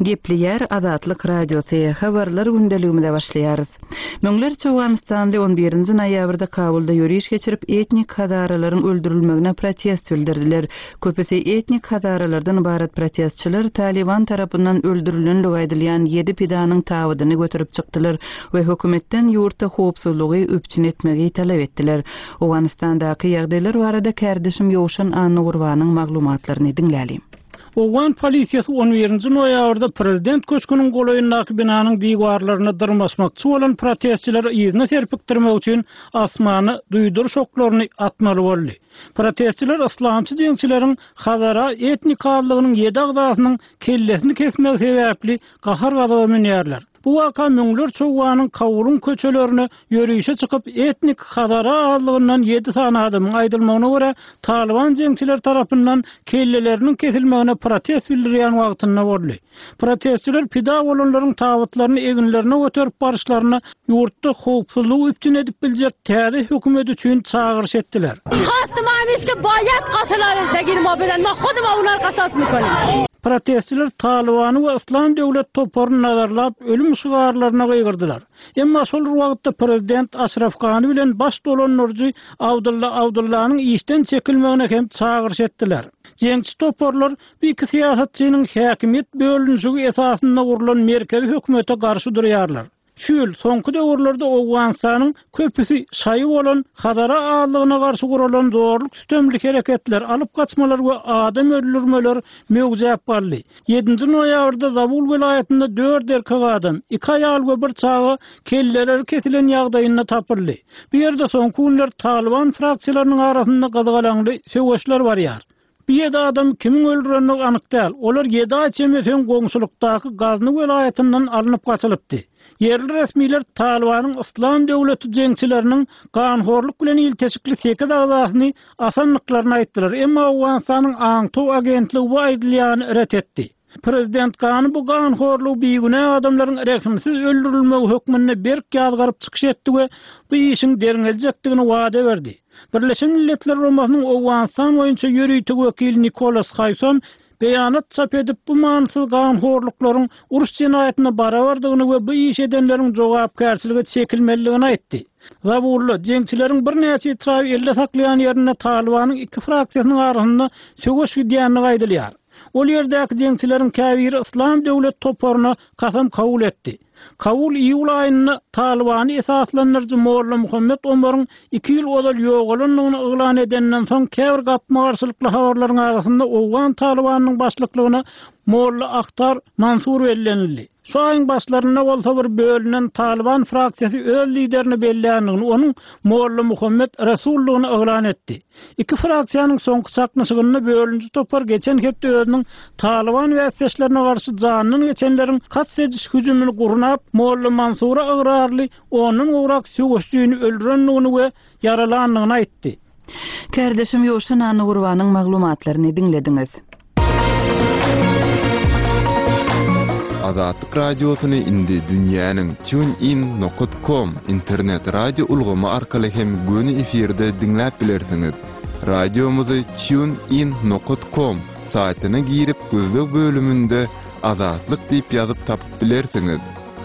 Gepleýär Azatlyk Radiosy, Habarlar gündeligimize başlaýarys. Müňlerçe owganystanly on birinji noýabrda Kabulda ýöriş geçirip, etnik hazaralaryň öldürilmegine protest bildirdiler. Köpüsi etnik hazaralardan ybarat protestçiler Talyban tarapyndan öldürilenligi aýdylýan ýedi pidanyň tabydyny göterip çykdylar we hökümetden ýurtda howpsuzlygy üpjün etmegi talap etdiler. Owganystandaky ýagdaýlar barada kärdeşim Ýowşan Annagurbanyň maglumatlaryny diňläliň. Owgan polisiýasy on birinji noýabrda prezident köşgüniň golaýyndaky binanyň diwarlaryna dyrmaşmakçy bolan protestçileri yzyna serpikdirmek üçin asmana duýduryş oklaryny atmaly boldy. Protestçiler yslamçy jeňçileriň hazara etnik azlygynyň ýedi agzasynyň kellesini kesmegi sebäpli gahar-gazaba münýärler. Bu waka müňlerçe owganyň Kabulyň köçelerine ýörişe çykyp, etnik hazara azlygyndan ýedi sany adamyň, aýdylmagyna görä, Talyban jeňçileri tarapyndan kelleleriniň kesilmegine protest bildirýän wagtynda boldy. Protestçiler pida bolanlaryň tabytlaryny eginlerine göterip baryşlaryna ýurtda howpsuzlygy üpjün edip biljek täze hökümet üçin çagyryş etdiler. Protestçiler Talybany we Yslam döwlet toparyny nazarlap ölüm şygarlaryna gygyrdylar. Emma şol bir wagtda prezident Aşraf Gani bilen baş dolandyryjy Abdylla Abdyllanyň işden çekilmegine hem çagyryş etdiler. Jeňçi toparlar bu iki syýasatçynyň häkimiýet bölünişigi esasynda gurlan merkezi hökümete garşy durýarlar. Şu ýyl, soňky döwürlerde Owganystanyň köpüsi şaýy bolan Hazara azlygyna garşy guralan zorluk-sütemli hereketler, alyp gaçmalar we adam öldürmeler möwjäp galdy. Ýedinji noýabrda Zabul welaýatynda dört erkek adam, iki aýal we bir çaga kelleleri kesilen ýagdaýynda tapyldy. Bu ýerde soňky günler Talyban fraksiýalarynyň arasynda gyzgalaňly söweşler barýar. Bu ýedi adamy kimiň öldürendigi anyk däl. Olar ýedi aý çemesi öň goňşulykdaky Gazny welaýatyndan alnyp gaçylypdy. Ýerli resmiler Talybanyň Yslam döwleti jeňçileriniň ganhorluk bilen ilteşikli sekiz agzasyny asandyklaryny aýtdylar, emma Owganystanyň aňtaw agentligi bu aýdylýany ret etdi. Prezident Gani bu ganhorlugy bigünä adamlaryň rehimsiz öldürilmegi hökmünde berk ýazgaryp çykyş etdi we bu işiň derňeljekdigini wada berdi. Birleşen Milletler Guramasynyň Owganystan boýunça ýörite wekili Nikolas Haýson beýanat çap edip, bu manysyz ganhorluklaryň uruş jenaýatyna barabardygyny we bu işi edenleriň jogapkärçilige çekilmelidigini aýtdy. Zabulda, jeňçileriň birnäçe etraby elde saklaýan ýerinde Talybanyň iki fraksiýasynyň arasynda söweş gidýändigi aýdylýar. Ol ýerdäki jeňçileriň käbiri Yslam döwlet toparyna kasam kabul etdi. Kabul iýul aýynda Talybany esaslandyryjy Molla Muhammet Omaryň iki ýyl ozal ýogalandygyny yglan edenden soň käbir gapma-garşylykly habarlaryň arasynda owgan Talybanynyň başlyklygyna Molla Ahtar Mansur bellenildi. Şu aýyň başlarynda bolsa bir bölünen Talyban fraksiýasy öz liderini belländigini, onuň Molla Muhammet Resuldygyny yglan etdi. Iki fraksiýanyň soňky çaknyşygynda bölüniji topar geçen hepde özüniň Talyban bäsdeşlerine garşy janyndan geçenleriň kast ediş hüjümini gurnap, Molla Mansura ygrarly ondan gowrak söweşijini öldürendigini we ýaralandygyny aýtdy. Kärdeşim Ýowşan Annagurbanyň maglumatlaryny diňlediňiz. Azatlyk Radiosyny indi dünýäniň TuneIn nokat com internet radio ulgamy arkaly hem göni efirde diňläp bilersiňiz. Radiomyzy TuneIn nokat com saýtyna girip gözleg bölüminde Azatlyk diýip ýazyp tapyp bilersiňiz.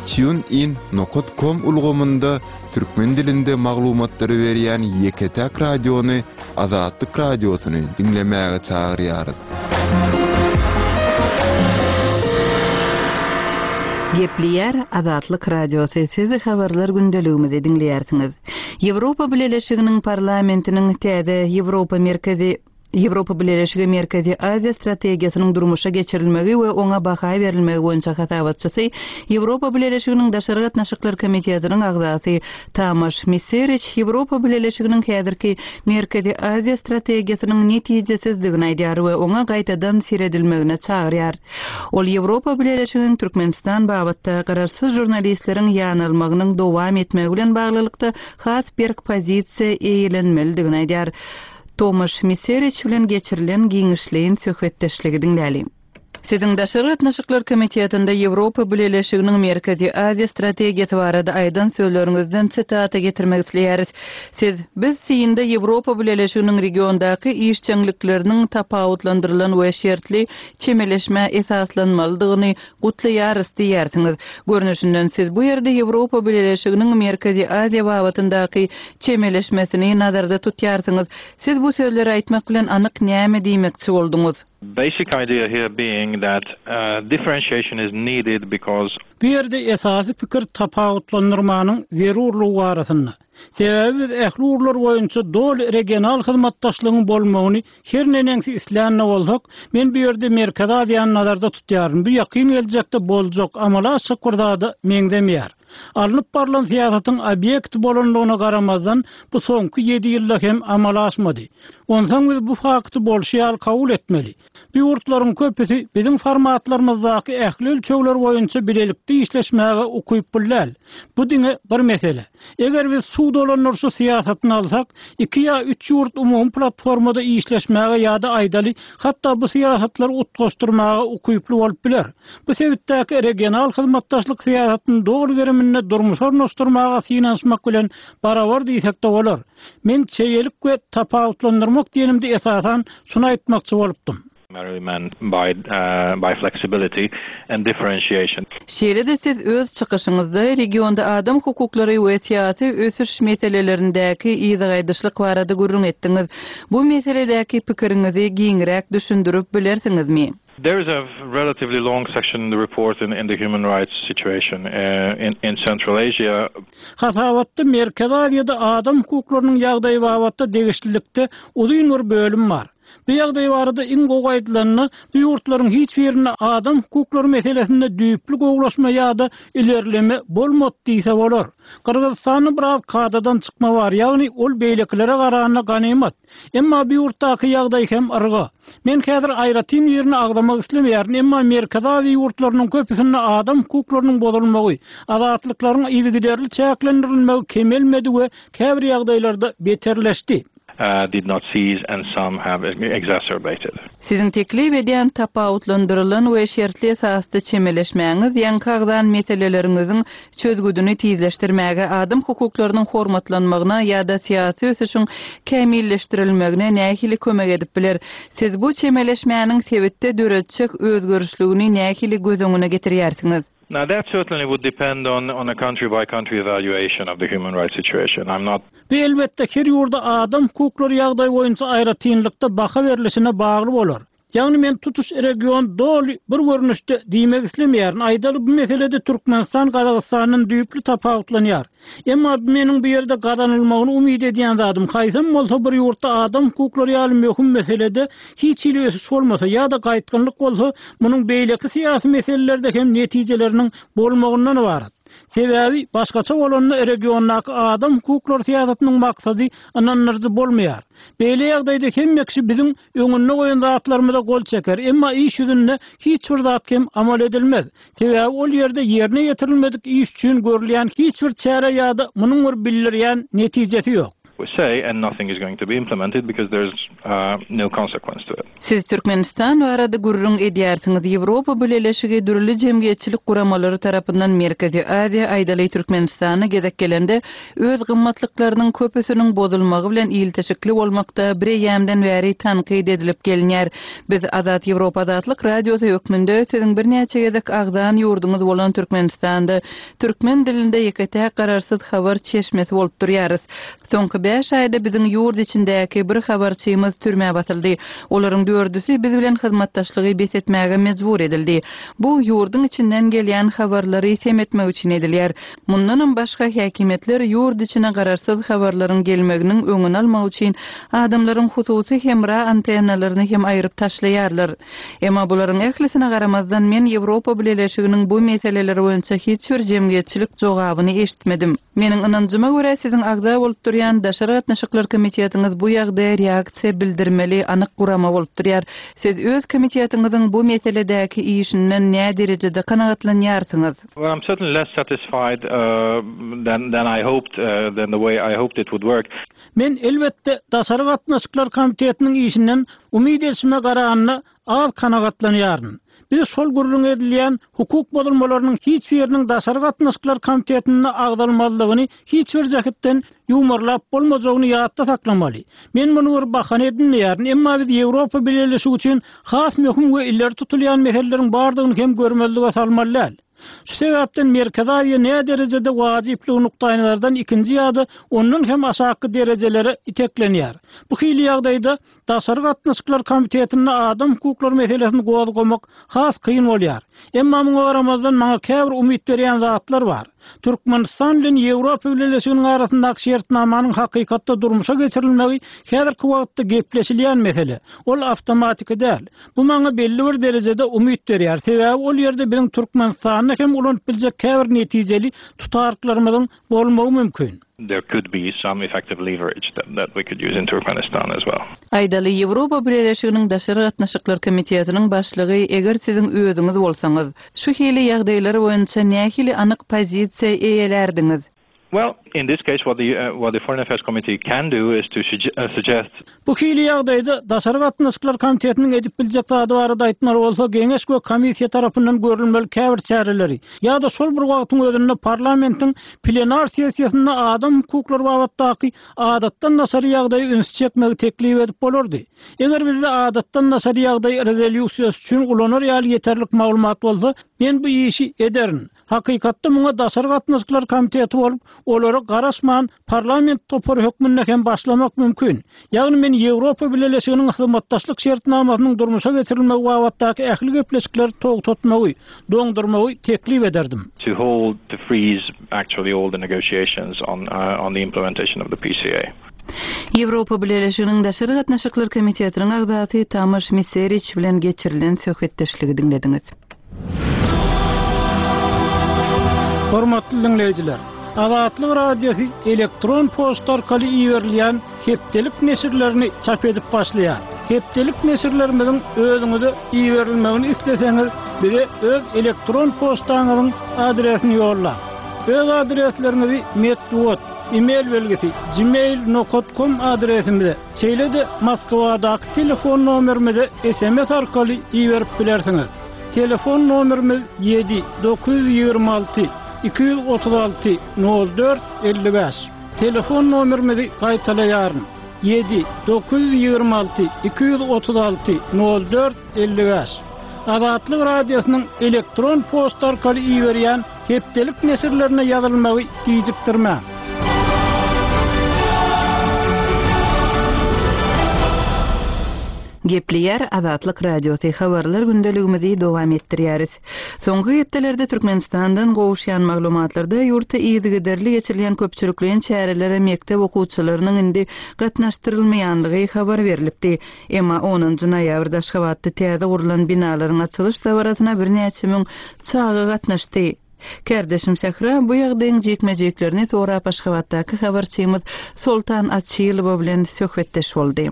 TuneIn nokat com ulgamynda türkmen dilinde maglumatlary berýän ýeke-täk radiony Azatlyk Radiosyny diňlemäge çagyrýarys. Gepleýär Azatlyk Radiosy, siz habarlar gündeligimizi diňleýärsiňiz. Ýewropa Bileleşiginiň Parlamentiniň täze Ýewropa Merkezi Ýewropa Bileleşigi Merkezi Aziýa strategiýasynyň durmuşa geçirilmegi we oňa baha berilmegi boýunça hasabatçysy, Ýewropa Bileleşiginiň Daşary gatnaşyklar komitetiniň agzasy Tamaş Miseriç Ýewropa Bileleşiginiň häzirki Merkezi Aziýa strategiýasynyň netijesizdigini aýdýar we oňa gaýtadan seredilmegine çagyrýar. Ol Ýewropa Bileleşiginiň Türkmenistan babatda garaşsyz žurnalistleriň ýanalmagynyň dowam etmegi bilen baglylykda has berk pozisiýa eýelenmelidigini aýdýar. Tomaş Miseriç bilen geçirilen giňişleýin söhbetdeşligi diňläliň. Siziň Daşary gatnaşyklar komitetinde Ýewropa Bileleşiginiň Merkezi Aziýa strategiýasy barada aýdan sözleriňizden sitata getirmek isleýäris. Siz, Biz synda Ýewropa Bileleşiginiň regiondaky işjeňlikleriniň tapawutlandyrylan we şertli çemeleşmä esaslanmalydygyny gutlaýarys diýýärsiňiz. Görnüşinden, siz bu ýerde Ýewropa Bileleşiginiň Merkezi Aziýa babatyndaky çemeleşmesini nazarda tutýarsyňyz. Siz bu sözleri aýtmak bilen anyk näme diýmekçi bolduňyz? Basic idea here being that differentiation is needed because. Bu ýerde esasy pikir tapawutlandyrmanyň zerurlygy barasynda. Sebäbi biz ähli ugurlar boýunça doly regional hyzmatdaşlygyň bolmagyny her neneňsi islän-de bolsak, men bu ýerde Merkezi Aziýany nazarda tutýaryn, bu ýakyn geljekde boljak, amala aşjak bir zada meňzemeýär. Alnyp barlan syýasatyň obýekti bolanlygyna garamazdan, bu soňky ýedi ýylda hem amala aşmady. Onsoň biz bu fakty bolşy ýaly kabul etmeli. Bu ýurtlaryň köpüsi biziň formatlarymyzdaky ähli ölçegler boýunça bilelikde işleşmäge ukyply däl. Bu diňe bir mesele. Eger biz suw dolandyryşy syýasatyny alsak, iki ýa üç ýurt umumy platformada işleşmäge ýa-da aýdaly, hatda bu syýasatlary utgaşdyrmaga ukyply bolup biler. Bu sebitdäki regional hyzmatdaşlyk syýasatyny doly geriminde durmuşa ornaşdyrmaga synanyşmak bilen barabar diýsek-de bolar. Men çeýelik we tapawutlandyrmak diýenimde esasan şuny aýtmakçy bolupdym. By flexibility and differentiation. Şeýle-de siz öz çykyşyňyzda regionda adam hukuklary we syýasy ösüş meselelerindäki yzagaýdyşlyk barada gürrüň etdiňiz. Bu meseledäki pikiriňizi giňräk düşündirip bilersiňizmi? There is a relatively long section in the report in in the human rights situation in in Central Asia. Hasabatda Merkezi Aziýada adam hukuklarynyň ýagdaýy babatda degişlilikde uzyn bir bölüm bar. Bu ýagdaý barada iň gowy aýdylanda, bu ýurtlaryň hiç birinde adam hukuklary meselesinde düýpli gowulaşma ýa-da ilerleme bolmady diýse bolar. Gyrgyzystanda biraz kadadan çykma bar, ýagny ol beýlekilere garanda ganymat. Emma bu ýurtdaky ýagdaý hem yrga. Men häzir aýratyn birini agzamak islemeýärin, emma Merkezi Aziýa ýurtlarynyň köpüsinde adam hukuklarynyň bozulmagy, azatlyklaryň yzygiderli çäklendirilmegi kemelmedi we käbir ýagdaýlarda beterleşdi. Did not cease and some have exacerbated. Siziň teklip edýän tapawutlandyrylan we şertli esasda çemeleşmäňiz ýaňky agzan meseleleriňiziň çözgüdini tizleşdirmäge, adam hukuklarynyň hormatlanmagyna ýa-da syýasy ösüşiň kämilleşdirilmegine nähili kömek edip biler? Siz bu çemeleşmäniň sebitde döretjek özgerişligini nähili göz öňüne getirýärsiňiz? Now that certainly would depend on on a country by country evaluation of the human rights situation. I'm not. Bu elbetde her ýurda adam hukuklary ýagdaýy boýunça aýratynlykda baha berlişine bagly bolar. Ýagny men tutuş region doly bir görnüşde diýmek islemeýärin. Aýdaly bu meselede Türkmenistan Gazagystandan düýpli tapawutlanýar. Emma bu meniň bu ýerde gazanylmagyny umyt edýän zadym, haýsam bolsa bir ýurtda adam hukuklary ýaly möhüm meselede hiç hili ösüş bolmasa ýa-da gaýtgynlyk bolsa, munuň beýleki syýasy meselelerde hem netijeleriniň bolmagyndan ybarat. Sebäbi başgaça bolanda regiondaky adam hukuklary syýasatynyň maksady ynandyryjy bolmaýar. Beýle ýagdaýda hemme kişi biziň öňünde goýan zatlarymyza gol çeker, emma iş ýüzünde hiç bir zat hem amal edilmez. Sebäbi ol ýerde ýerine ýetirilmedik iş üçin görülýän hiç bir çäre ýa-da munuň bir bildirýän netijesi ýok. We say and nothing is going to be implemented because there's no consequence to it. Siz Türkmenistan barada gürrüň edýärsiňiz. Ýewropa Bileleşigi dürli jemgyýetçilik guramalary tarapyndan Merkezi Aziýa, aýdaly Türkmenistana gezek gelende, öz gymmatlyklarynyň köpüsiniň bozulmagy bilen ilteşikli bolmakda bireýýämden bäri tankyt edilip gelinýär. Biz Azat Ýewropa Azatlyk Radiosy hökmünde siziň birnäçe gezek agzan ýurduňyz bolan Türkmenistanda türkmen dilinde ýeke-täk garaşsyz habar çeşmesi bolup durýarys. Soňky bäş aýda biziň ýurt içindäki bir habarçymyz türmä basyldy. Olaryň dördüsi biz bilen hyzmatdaşlygy bes etmäge mejbur edildi. Bu, ýurduň içinden gelýän habarlary sem etmek üçin edilýär. Mundanam başga, häkimiýetler ýurt içine garaşsyz habarlaryň gelmeginiň öňüni almak üçin adamlaryň hususy hemra antennalaryny hem aýryp taşlaýarlar. Emma bularyň ählisine garamazdan, men Ýewropa Bileleşiginiň bu meseleler boýunça hiç bir jemgyýetçilik jogabyny eşitmedim. Meniň ynanjyma görä, siziň agza bolup durýan Daşary gatnaşyklar komitetiňiz bu ýagdaýa reaksiýa bildirmeli anyk gurama bolup durýar. Siz öz komitetiňiziň bu meseledäki işinden näderejede kanagatlanýarsyňyz? Well, I'm certainly less satisfied than than I hoped, than the way I hoped it would work. Men, elbetde, Daşary gatnaşyklar komitetiniň işinden umyt edişime garanda az kanagatlanýaryn. Biz şol gürrüňi edilýän hukuk bozulmalarynyň hiç biriniň Daşary gatnaşyklar komitetinde agzalmazlygyny hiç bir jähetden ýuwmarlap bolmajagyny ýatda saklamaly. Men muny bir bahana edinmeýärin, emma biz Ýewropa Bileleşigi üçin has möhüm we ileri tutulýan meseleleriň bardygyny hem görmezlige salmaly däl. Şu sebäpden Merkezi Aziýa näderejede wajyplygy nukdaýnazardan ikinji ýa-da ondan hem aşakky derejelere iteklenýär. Bu hili ýagdaýda Daşary gatnaşyklar komitetinde adam hukuklary meselesini gozgamak has kyn bolýar. Emma muňa garamazdan maňa käbir umyt berýän zatlar bar. Türkmenistan bilen Ýewropa Bileleşiginiň arasyndaky şertnamanyň hakykatda durmuşa geçirilmegi häzirki wagtda gepleşilýän mesele. Ol awtomatiki däl. Bu maňa belli bir derejede umyt berýär, sebäbi ol ýerde biziň Türkmenistanda hem ulanyp biljek käbir netijeli tutaryklarymyzyň bolmagy mümkin. There could be some effective leverage that that we could use in Turkmenistan as well. Aýdaly, Ýewropa Bileleşiginiň Daşary gatnaşyklar komitetiniň başlygy eger siziň özüňiz bolsaňyz, şu hili ýagdaýlar boýunça nähili anyk pozisiýa eýelärdiňiz? Well, in this case what the what the Foreign Affairs Committee can do is to suggest. Bu hili ýagdaýda Daşary gatnaşyklar komitetiniň edip biljek zady barada aýtmaly bolsa, Geňeş we komissiýa tarapyndan görülmeli käbir çäreleri ýa-da şol bir wagtyň özünde parlamentiň plenar sessiýasynda adam hukuklary babatdaky adatdan daşary ýagdaýa ünsi çekmegi teklip edip bolardy. Eger bizde adatdan daşary ýagdaý rezolýusiýasy üçin ulanar ýaly ýeterlik maglumat bolsa, men bu işi ederin. Hakykatda muňa Daşary gatnaşyklar komiteti bolup, olara garaşman parlament topary hökmünde hem başlamak mümkin. Ýagny men Ýewropa Bileleşiginiň hyzmatdaşlyk şertnamasynyň durmuşa geçirilmegi babatdaky ähli gepleşikleri togtatmagy, doňdurmagy teklip ederdim. To hold, to freeze actually all the negotiations on on the implementation of the PCA. Ýewropa Bileleşiginiň Daşary gatnaşyklar komitetiniň agzasy Tamaş Miseriç bilen geçirilen söhbetdeşligi diňlediňiz. Hormatly diňleýjiler! Azatlyk Radiosy elektron poçta arkaly iberilýän hepdelik neşirlerini çap edip başlaýar. Hepdelik neşirlerimiziň özüňize iberilmegini isleseňiz, bize öz elektron poçtaňyzyň adresini ýollaň. Öz adresleriňizi metbugat, e-mail belgisi, gmail nokat kom adresimize, şeýle-de Moskwadaky telefon nomerimize sms arkaly iberip bilersiňiz. Telefon nomerimiz ýedi, 926 236 04 55. Telefon nomerimizi gaýtalaýaryn, ýedi, 926 236 04 55. Azatlyk Radiosynyň elektron poçta arkaly iberýän hepdelik neşirlerine ýazylmagy gijikdirmäň. Gepleýär Azatlyk Radiosy, Habarlar gündeligimizi dowam etdirýäris. Soňky hepdelerde Türkmenistandan gowuşýan maglumatlarda ýurtda yzygiderli geçirilýän köpçülikleýin çärelere mekdep okuwçylarynyň indi gatnaşdyrylmaýanlygy habar berlipdi. Emma onunjy noýabrda Aşgabatda täze gurlan binalaryň açylyş dabarasyna birnäçe müň çaga gatnaşdy. Kärdeşim Sähra bu ýagdaýyň jikme-jiklerini sorap Aşgabatdaky habarçymyz Soltan Açylowa bilen söhbetdeş boldy.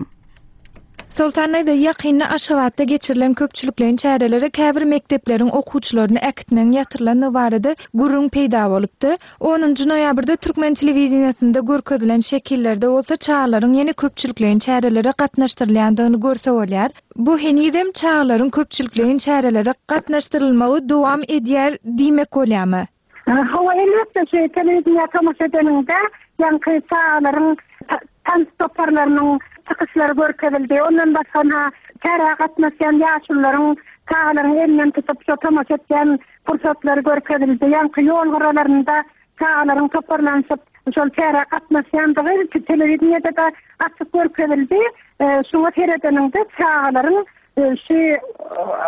Soltan daýza, ýakynda Aşgabatda geçirilen köpçülikleýin çärelere käbir mekdepleriň okuwçylaryny äkitmegiň ýatyrylandygy barada gürrüň peýda bolupdy. Onunjy noýabrda türkmen telewideniýesinde görkezilen şekillerde bolsa çagalaryň ýene köpçülikleýin çärelere gatnaşdyrylýandygyny görse bolýar. Bu henizem çagalaryň köpçülikleýin çärelere gatnaşdyrylmagy dowam edýär diýmek bolýarmy? Hawa, elbetde, şu telewideniýä tomaşa edeniňde, ýaňky çagalaryň tans toparlarynyň çykyşlary görkezildi. Ondan başga ynha, çärä gatnaşýan ýaşulularyň çagalaryň elinden tutup, şo tomaşa etýän pursatlary görkezildi. Ýaňky ýol gyralarynda çagalaryň toparlanyşyp, şol çärä gatnaşýandygy telewideniýede-de açyk görkezildi. Şuňa seredeniňde, çagalaryň şu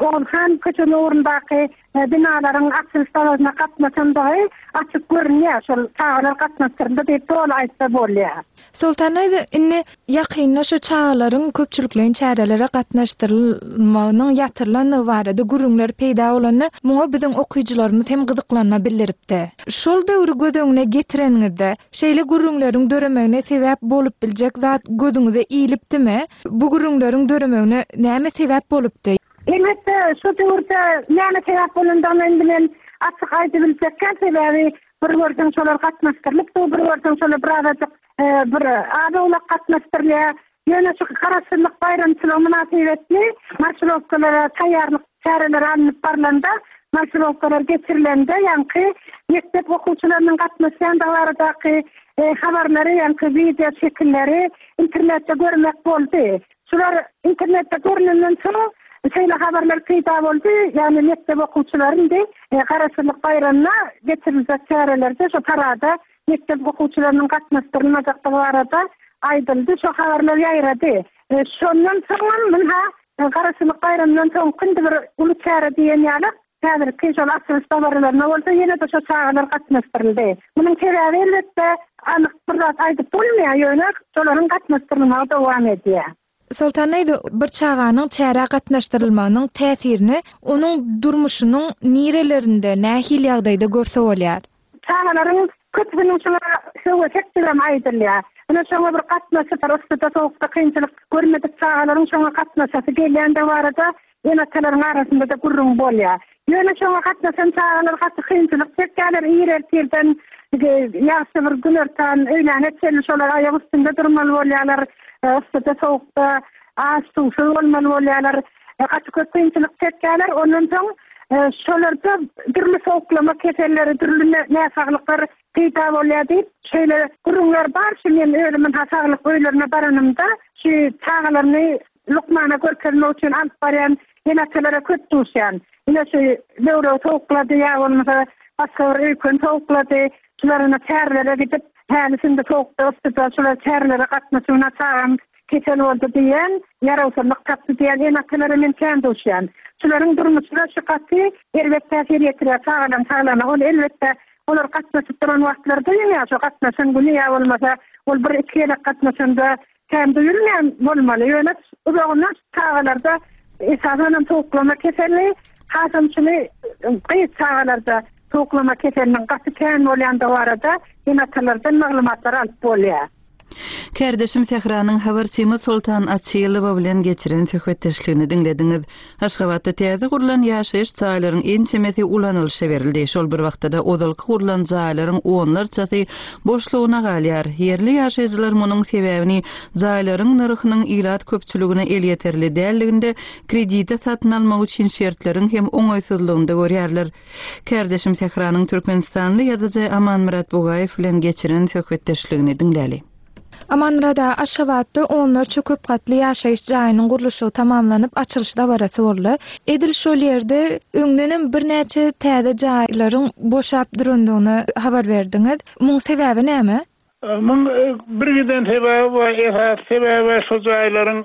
Oguzhan köçesiniň ugrundaky binalaryň açylyş dabarasyna gatnaşandygy açyk görünýär. Şol çagalar gatnaşdyryldy diýip doly aýtsa bolýar. Soltan daýza, indi ýakynda şu çagalaryň köpçülikleýin çärelere gatnaşdyrylmagynyň ýatyrylandygy barada gürrüňler peýda bolanda, muňa biziň okyjylarymyz hem gyzyklanma bildiripdi. Şol döwri göz öňüne getireniňizde, şeýle gürrüňleriň döremegine sebäp bolup biljek zat gözüňize ilipdimi? Bu gürrüňleriň döremegine näme sebäp bolupdy? Elbetde, şo döwürde näme sebäp bolandygyny indi men açyk aýdybiljek däl, sebäbi bir görseň şolar gatnaşdyrylypdy, bir görseň şolar birazajyk bir az-owlak gatnaşdyrylýar. Ýöne şu Garaşsyzlyk baýramçylygy mynasybetli marşirowkalara taýýarlyk. çäreleri alnyp barlanda, marşirowkalar geçirilende ýaňky mekdep okuwçylarynyň gatnaşýandygy baradaky habarlary, ýaňky wideo şekilleri internetde görmek boldy. Şular internetde görnenden soň şeýle habarlar peýda boldy, ýagny mekdep okuwçylary indi Garaşsyzlyk baýramyna geçiriljek çärelerde şo parada mekdep okuwçylarynyň gatnaşdyrylmajakdygy barada aýdyldy, şo habarlar ýaýrady. Şondan soňam ynha Garaşsyzlyk baýramyndan soňky indi bir uly çäre diýen ýaly häzirki şol açylyş dabaralaryna bolsa ýene-de şo çagalar gatnaşdyryldy. Munuň sebäbi elbetde anyk bir zat aýdyp bolmaýar, ýöne şolaryň gatnaşdyrylmagy dowam edýär. Soltan daýza, bir çaganyň çärä gatnaşdyrylmagynyň täsirini onuň durmuşynyň nirelerinde, nähili ýagdaýda görse bolýar? Çagalaryň köpüsiniň şuňa höwesekdigem aýdylýar. Ine, şoňa bir gatnaşyp, yssyda-sowukda kynçylyk görmedik çagalaryň şoňa gatnaşasy gelýändigi barada ene-atalaryň arasynda-da gürrüň bolýar. Ýöne şoňa gatnaşan çagalar gaty kynçylyk çekýärler, ir ertirden ýagşy bir günortan, öýläne çenli şolar aýak üstünde durmaly bolýarlar, yssyda-sowukda aç-suwsuz bolmaly bolýarlar. Gaty köp kynçylyk çekýärler. Ondan soň şolarda dürli sowuklama keselleri, dürli näsaglyklar peýda bolýar diýip, şeýle gürrüňler bar. Şu men özüm ynha saglyk öýlerine baranymda, şu çagalaryny lukmana görkezmek üçin alyp barýan ene-atalara köp duşýan. Ine şu böwregi sowuklady ýa bolmasa başga bir öýken sowuklady. Şular ine çärelere gidip, häli-şindi sowukda, yssyda şular çärelere gatnaşyp, ynha çagam Kesel boldy diýen, ýarawsyzlyk tapdy diýen ene-atalara men kän duşýan. Şularyň durmuşyna şu gaty erbet täsir ýetirýär çagalaryň saglygyna. Ol elbetde olar gatnaşyp duran wagtlary duýulýar şo gatnaşan güni ýa bolmasa ol bir-iki gezek gatnaşanda kän duýulmaýan bolmaly. Ýöne uzagyndan çagalarda esasanam sowuklama keseli hasam şuny gyz çagalarda sowuklama keseliniň gaty kän bolýandygy barada ene-atalardan maglumatlar alyp bolýar. Kärdeşim Sähranyň habarçymyz Soltan Açylowa bilen geçiren söhbetdeşligini diňlediňiz. Aşgabatda täze gurlan ýaşaýyş jaýlaryň ençemesi ulanylyşa berildi. Şol bir wagtda-da ozalky gurlan jaýlaryň onlarçasy boşlugyna galýar. Ýerli ýaşaýjylar munuň sebäbini jaýlaryň nyrhynyň ilat köpçüligine elýeterli däldiginde, kredite satyn almak üçin şertleriň hem oňaýsyzlygynda görýärler. Kärdeşim Sähranyň türkmenistanly ýazyjy Amanmyrat Bugaýew bilen geçiren söhbetdeşligini diňläli. Amanmyrat aga, Aşgabatda onlarça köp gatly ýaşaýyş jaýynyň gurluşygy tamamlanyp, açylyş dabarasy boldy. Edil şol ýerde öňdenem birnäçe täze jaýlaryň boşap durandygyny habar berdiňiz. Muň sebäbi näme? Muň bir giden sebäbi bar, esasy sebäbi şo jaýlaryň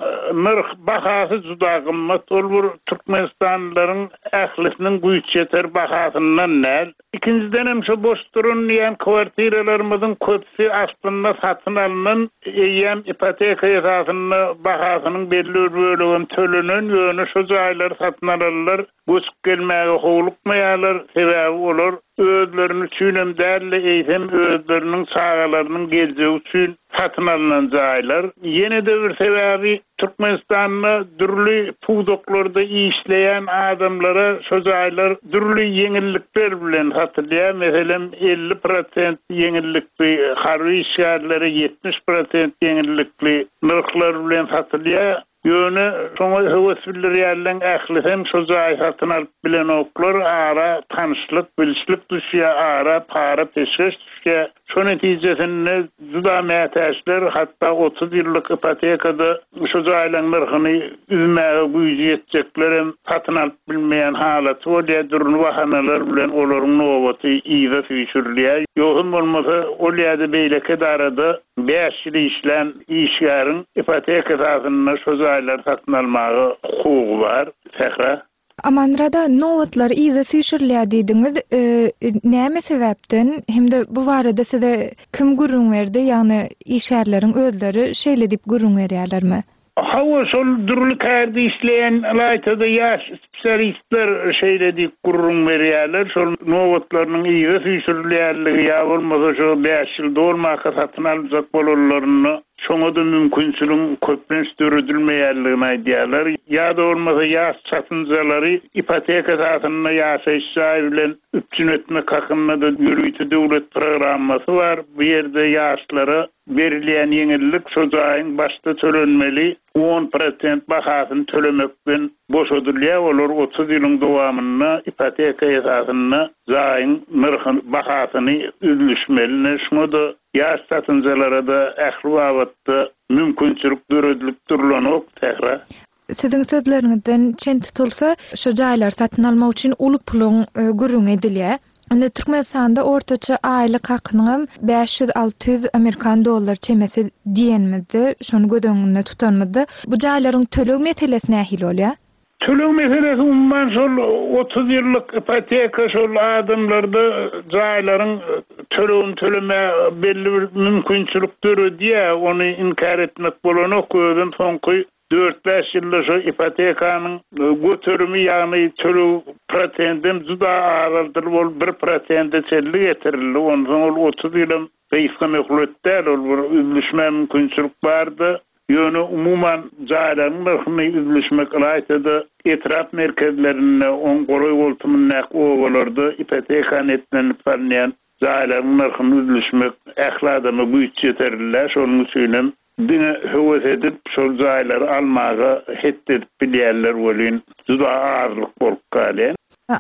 nyrh, bahasy juda gymmat. Ol bir türkmenistanlylaryň ählisiniň güýç ýeter bahasyndan däl. Ikinjidenem şo boş duran diýýän kwartiralarymyzyň köpüsi aslynda satyn alnan, eýýäm ipoteka esasynda bahasynyň belli bir bölegem tölenen, ýöne şo jaýlary satyn alanlar Göçüp gelmäge howlukmaýarlar, sebäbi olar özlerini üçinem däl-de, eýsem özleriniň çagalarynyň geljegi üçin satyn alnan jaýlar. Ýene-de bir sebäbi, Türkmenistanda dürli pudaklarda işleýän adamlara şo jaýlar dürli ýeňillikler bilen satylýar. Meselem, 50 prosent ýeňillikli harby işgärlere 70 prosent ýeňillikli nyrhlar bilen satylýar. Ýöne şoňa höwes bildirýänleň ählisem şo jaýy satyn alyp bilenoklar, ara tanyşlyk, bilişlik düşýär, ara para-peşgeş düşýär. Şo netijesinde juda mätäçler, hatda 30 ýyllyk ipotekada şo jaýlaň nyrhyny üzmäge güýji ýetjeklerem satyn alyp bilmeýän halaty bolýar, dürli bahanalar bilen olaryň nobaty yza süýşürilýär. Ýogsam bolmasa ol ýa-da beýleki edarada Bäş ýyl işlän işgäriň ipoteka esasynda şo jaýlary satyn almaga hukugy bar. Sähra. Amanmyrat aga, nobatlar yza süýşürilýär diýdiňiz. Näme sebäpden hem-de bu barada size kim gürrüň berdi, ýagny işgärleriň özleri şeýle diýip gürrüň berýärlermi? Hawa, şol dürli kärde işleýän, ylaýta-da ýaş spesialistler şeýle diýip gürrüň berýärler, şol nobatlarynyň yza süýşürilýänligi ýa bolmasa şo bäş ýyl dolmaka satyn aljak bolanlarynda şoňa-da mümkinçiligiň köplenç döredilmeýänligini aýdýarlar. Ýa-da bolmasa ýaş çatynjalary ipoteka esasynda ýaşaýyş jaý bilen üpjün etmek hakynda-da ýörite döwlet programmasy bar. Bu ýerde ýaşlara Berilýän ýeňillik şo jaýyň başda tölenmeli 10 prosent bahasyny tölemekden. boşadylýar, olar 30 ýylyň dowamynda ipoteka esasynda jaýyň nyrhyny, bahasyny üzlüşmeli. Ine, şuňa-da ýaş çatynjalara-da ähli babatda mümkinçilik döredilip durlanok, Sähra. Siziň sözleriňizden çen tutulsa, şu jaýlary satyn almak üçin uly puluň gürrüňi edilýär. Indi Türkmenistanda ortaça aýlyk hakynyňam 500, 600 amerikan dollar çemesi diýenimizde, şony göz öňünde tutanymyzda, bu jaýlaryň töleg meselesi nähili bolýar? Töleg meselesi umuman şol 30 ýyllyk ipoteka şol adamlarda jaýlaryň tölegini tölemäge belli bir mümkinçilik döredýär, ony inkär etmek bolanok, özem soňky Dört-bäş ýylda şo ipotekanyň göterimi, ýagny töleg prosendem juda azaldylyp, ol bir prosende çenli getirildi. Onsoň ol 30 ýylam gysga möhlet däl, ol bir üzlüşmä mümkinçilik bardy. Ýöne umuman jaýlaryň nyrhyny üzlüşmek ylaýta-da etrap merkezlerinde, oň golaý-goltumyndaky obalarda ipoteka netlenilip salynýan jaýlaryň nyrhyny üzlüşmek ähli adama güýç ýeterli däl. Şonuň üçinem Diňe höwes edip şol jaýlary almaga het edip bilýänler welin juda azlyk bolup galýar.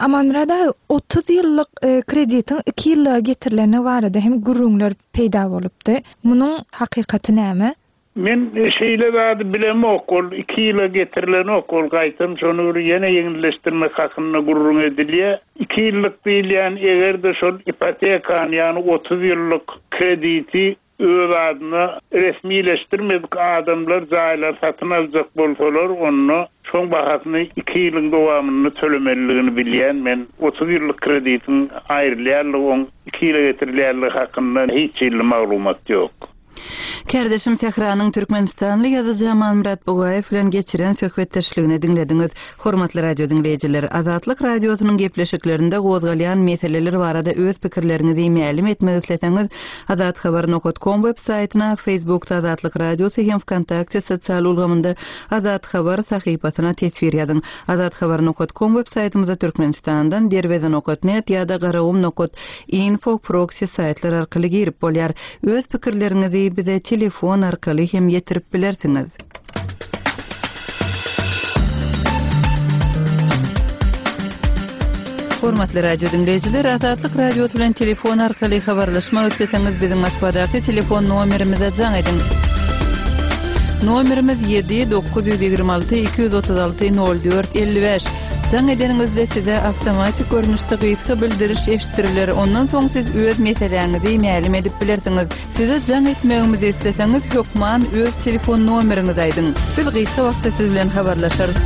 Amanmyrat aga, 30 ýyllyk kreditiň iki ýyllyga getirilendigi barada hem gürrüňler peýda bolupdy. Munuň hakykaty näme? Men şeýle zady bilemok, ol iki ýyla getirilenok, ol gaýtam şony bir ýene ýeňilleşdirmek hakynda gürrüň edilýär. Iki ýyllyk diýilýän eger-de şol ipotekany, ýagny 30 ýyllyk krediti Öz adyna resmileşdirmedik adamlar jaýlary satyn aljak bolsalar, onda şoň bahasyny iki ýylyň dowamynda tölemelidigini bilýän men. 30 ýyllyk kreditiň aýrylýanlygy, oň iki ýyla getirilýänligi hakynda hiç hili maglumat ýok. Kärdeşim Sähranyň türkmenistanly ýazyjy Amanmyrat Bugaýew bilen geçiren söhbetdeşligini diňlediňiz. Hormatly radio diňleýjiler, Azatlyk Radiosynyň gepleşiklerinde gozgalýan meseleler barada öz pikirleriňizi mälim etmek isleseňiz, Azathabar nokat kom web saýtyna, Facebookda Azatlyk Radiosy hem Wkontakte sosial ulgamynda Azathabar sahypasyna teswir ýazyň. Azathabar nokat kom web saýtymyza Türkmenistandan Derweze nokat net ýa-da Garagum nokat info proksi saýtlar arkaly girip bolýar. Öz pikirleriňizi bize telefon arkaly hem ýetirip bilersiňiz. Hormatly radio diňleýjiler, Azatlyk Radiosy bilen telefon arkaly habarlaşmak isleseňiz, biziň Moskwadaky telefon nomerimize jaň ediň. Nomerimiz 7 926 236 04 55. Jaň edeniňizde size awtomatik görnüşde gysga bildiriş eşitdiriler, ondan soň siz öz meseläňizi mälim edip bilersiňiz. Size jaň etmegimizi isleseňiz hökman öz telefon nomeriňizi aýdyň. Biz gysga wagtda siz bilen habarlaşarys.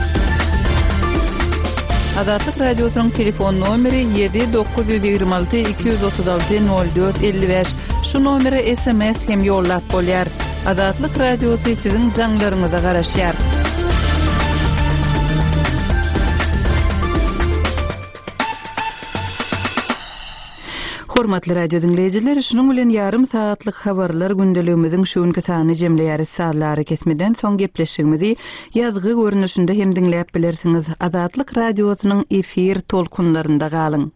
Azatlyk Radiosynyň telefon nomeri 7 926 236 04 55. Şu nomere sms hem ýollap bolýar. Azatlyk Radiosy siziň jaňlaryňyza garaşýar. Hormatly radio diňleýjiler, şunuň bilen ýarym sagatlyk habarlar gündeligimiziň şu günki sanyny jemleýäris. Sazly arakesmeden soň gepleşigimizi ýazgy görnüşinde hem diňläp bilersiňiz. Azatlyk Radiosynyň efir tolkunlarynda galyň!